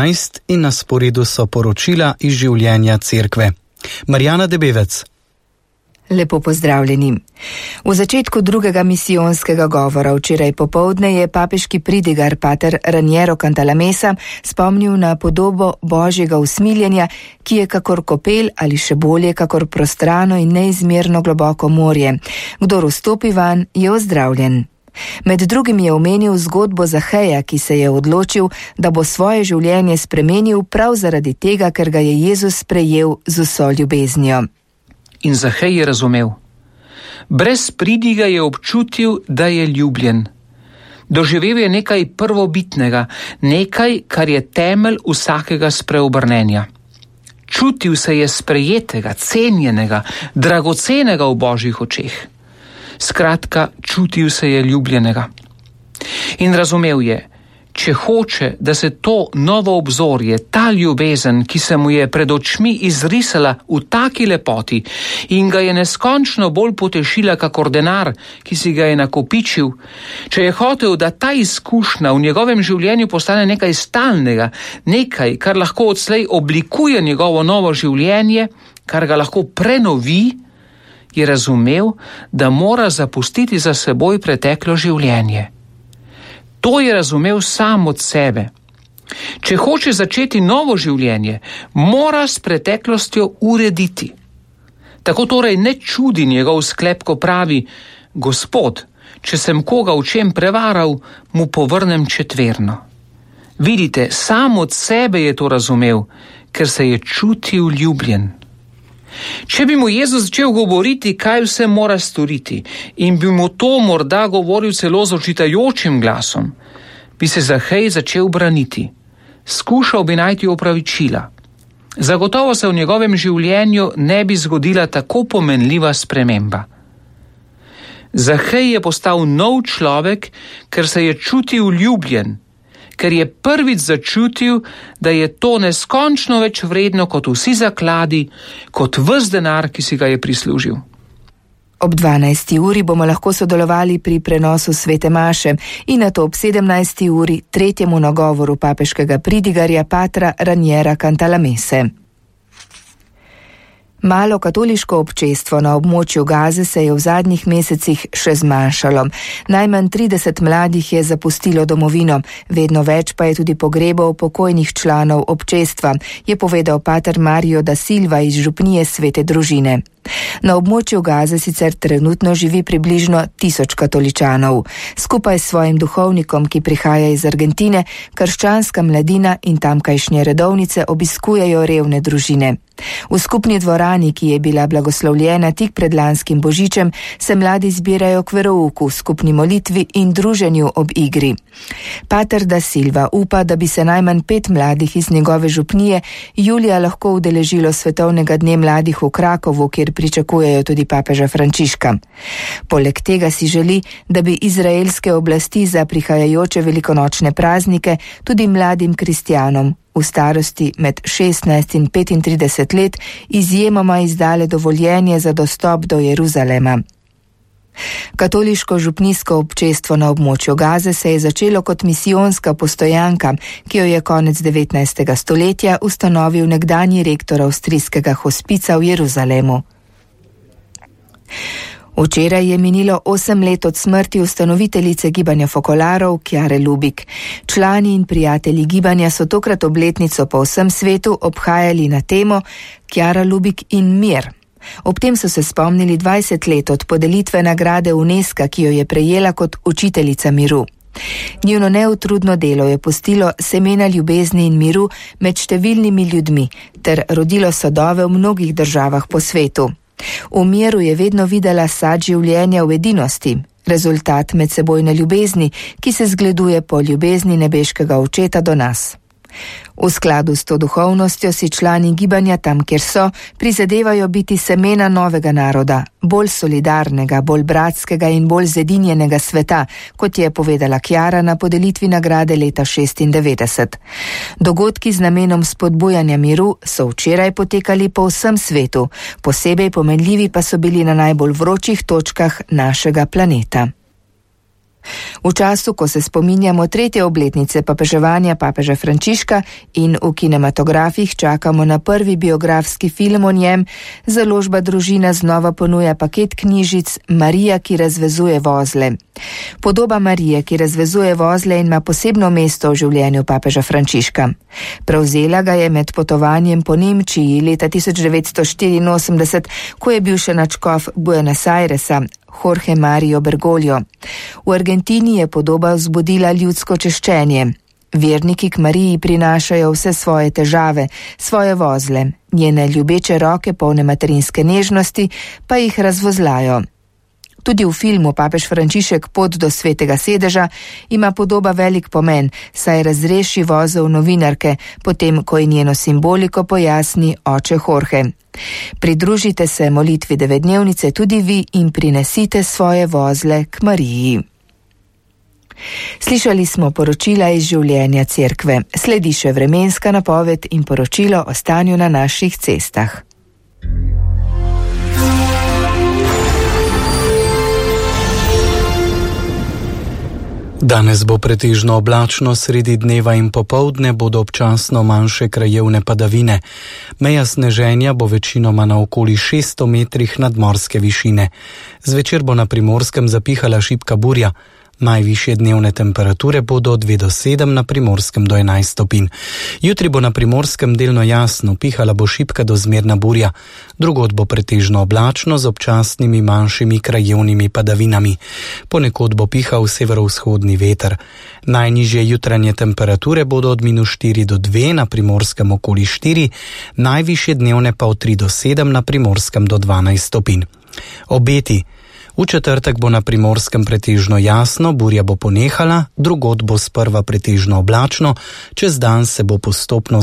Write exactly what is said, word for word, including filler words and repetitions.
In na sporedu so poročila iz življenja cerkve. Marjana Debevec. Lepo pozdravljeni. V začetku drugega misijonskega govora včeraj popoldne je papeški pridigar pater Raniero Cantalamessa spomnil na podobo božjega usmiljenja, ki je kakor kopel ali še bolje kakor prostrano in neizmerno globoko morje. Kdor vstopi van, je ozdravljen. Med drugim je omenil zgodbo Zaheja, ki se je odločil, da bo svoje življenje spremenil prav zaradi tega, ker ga je Jezus sprejel z vso ljubeznijo. In Zahej je razumel. Brez pridiga je občutil, da je ljubljen. Doživel je nekaj prvobitnega, nekaj, kar je temelj vsakega spreobrnenja. Čutil se je sprejetega, cenjenega, dragocenega v božjih očeh. Skratka, čutil se je ljubljenega. In razumel je, če hoče, da se to novo obzorje, ta ljubezen, ki se mu je pred očmi izrisala v taki lepoti in ga je neskončno bolj potešila kakor denar, ki si ga je nakopičil, če je hotel, da ta izkušnja v njegovem življenju postane nekaj stalnega, nekaj, kar lahko odslej oblikuje njegovo novo življenje, kar ga lahko prenovi, je razumel, da mora zapustiti za seboj preteklo življenje. To je razumel sam od sebe. Če hoče začeti novo življenje, mora s preteklostjo urediti. Tako torej ne čudi njegov sklep, ko pravi: Gospod, če sem koga v čem prevaral, mu povrnem četverno. Vidite, sam od sebe je to razumel, ker se je čutil ljubljen. Če bi mu Jezus začel govoriti, kaj vse mora storiti, in bi mu to morda govoril celo z očitajočim glasom, bi se Zahej začel braniti. Skušal bi najti opravičila. Zagotovo se v njegovem življenju ne bi zgodila tako pomenljiva sprememba. Zahej je postal nov človek, ker se je čutil ljubljen, ker je prvič začutil, da je to neskončno več vredno kot vsi zakladi, kot ves denar, ki si ga je prislužil. Ob dvanajsti uri bomo lahko sodelovali pri prenosu svete maše in nato ob sedemnajsti uri tretjemu nagovoru papeškega pridigarja patra Raniera Cantalamesse. Malo katoliško občestvo na območju Gaze se je v zadnjih mesecih še zmanjšalo. Najmanj trideset mladih je zapustilo domovino, vedno več pa je tudi pogrebov pokojnih članov občestva, je povedal pater Mario da Silva iz župnije Svete družine. Na območju Gaze sicer trenutno živi približno tisoč katoličanov. Skupaj s svojim duhovnikom, ki prihaja iz Argentine, krščanska mladina in tamkajšnje redovnice obiskujejo revne družine. V skupni dvorani, ki je bila blagoslovljena tik pred lanskim božičem, se mladi zbirajo k verouku, skupni molitvi in druženju ob igri. Pater da Silva upa, da bi se najmanj pet mladih iz njegove župnije julija lahko udeležilo svetovnega dne mladih v Krakovu, kjer pričakujejo tudi papeža Frančiška. Poleg tega si želi, da bi izraelske oblasti za prihajajoče velikonočne praznike tudi mladim kristjanom v starosti med šestnajst in petintrideset let izjemoma izdale dovoljenje za dostop do Jeruzalema. Katoliško župnijsko občestvo na območju Gaze se je začelo kot misijonska postojanka, ki jo je konec devetnajstega stoletja ustanovil nekdanji rektor avstrijskega hospica v Jeruzalemu. Včeraj je minilo osem let od smrti ustanoviteljice gibanja Fokolarov Chiare Lubich. Člani in prijatelji gibanja so tokrat obletnico po vsem svetu obhajali na temo Chiara Lubich in mir. Ob tem so se spomnili dvajset let od podelitve nagrade UNESCO, ki jo je prejela kot učiteljica miru. Njuno neutrudno delo je pustilo semena ljubezni in miru med številnimi ljudmi ter rodilo sadove v mnogih državah po svetu. V miru je vedno videla sad življenja v edinosti, rezultat medsebojne ljubezni, ki se zgleduje po ljubezni nebeškega Očeta do nas. V skladu s to duhovnostjo si člani gibanja tam, kjer so, prizadevajo biti semena novega naroda, bolj solidarnega, bolj bratskega in bolj zedinjenega sveta, kot je povedala Chiara na podelitvi nagrade leta šestindevetdeset. Dogodki z namenom spodbujanja miru so včeraj potekali po vsem svetu, posebej pomenljivi pa so bili na najbolj vročih točkah našega planeta. V času, ko se spominjamo tretje obletnice papeževanja papeža Frančiška in v kinematografih čakamo na prvi biografski film o njem, založba Družina znova ponuja paket knjižic Marija, ki razvezuje vozle. Podoba Marije, ki razvezuje vozle, ima posebno mesto v življenju papeža Frančiška. Prevzela ga je med potovanjem po Nemčiji leta tisoč devetsto štiriinosemdeset, ko je bil še nadškof Buenos Airesa, Jorge Mario Bergoglio. V Argentini je podoba vzbudila ljudsko češčenje. Verniki k Mariji prinašajo vse svoje težave, svoje vozle, njene ljubeče roke polne materinske nežnosti pa jih razvozlajo. Tudi v filmu Papež Frančišek Pot do svetega sedeža ima podoba velik pomen, saj razreši vozel novinarke, potem ko je njeno simboliko pojasni oče Jorge. Pridružite se molitvi devetdnevnice tudi vi in prinesite svoje vozle k Mariji. Slišali smo poročila iz življenja cerkve. Sledi še vremenska napoved in poročilo o stanju na naših cestah. Danes bo pretežno oblačno, sredi dneva in popoldne bodo občasno manjše krajevne padavine. Meja sneženja bo večinoma na okoli šeststo metrih nadmorske višine. Zvečer bo na Primorskem zapihala šibka burja. Najvišje dnevne temperature bodo od dve do sedem, na Primorskem do enajst stopinj. Jutri bo na Primorskem delno jasno, pihala bo šibka do zmerna burja. Drugod bo pretežno oblačno z občasnimi manjšimi krajevnimi padavinami. Ponekod bo pihal severovzhodni veter. Najnižje jutranje temperature bodo od minus štiri do dve, na Primorskem okoli štiri, najvišje dnevne pa od tri do sedem, na Primorskem do dvanajst stopinj. Obeti. V četrtek bo na Primorskem pretežno jasno, burja bo ponehala, drugod bo sprva pretežno oblačno, čez dan se bo postopno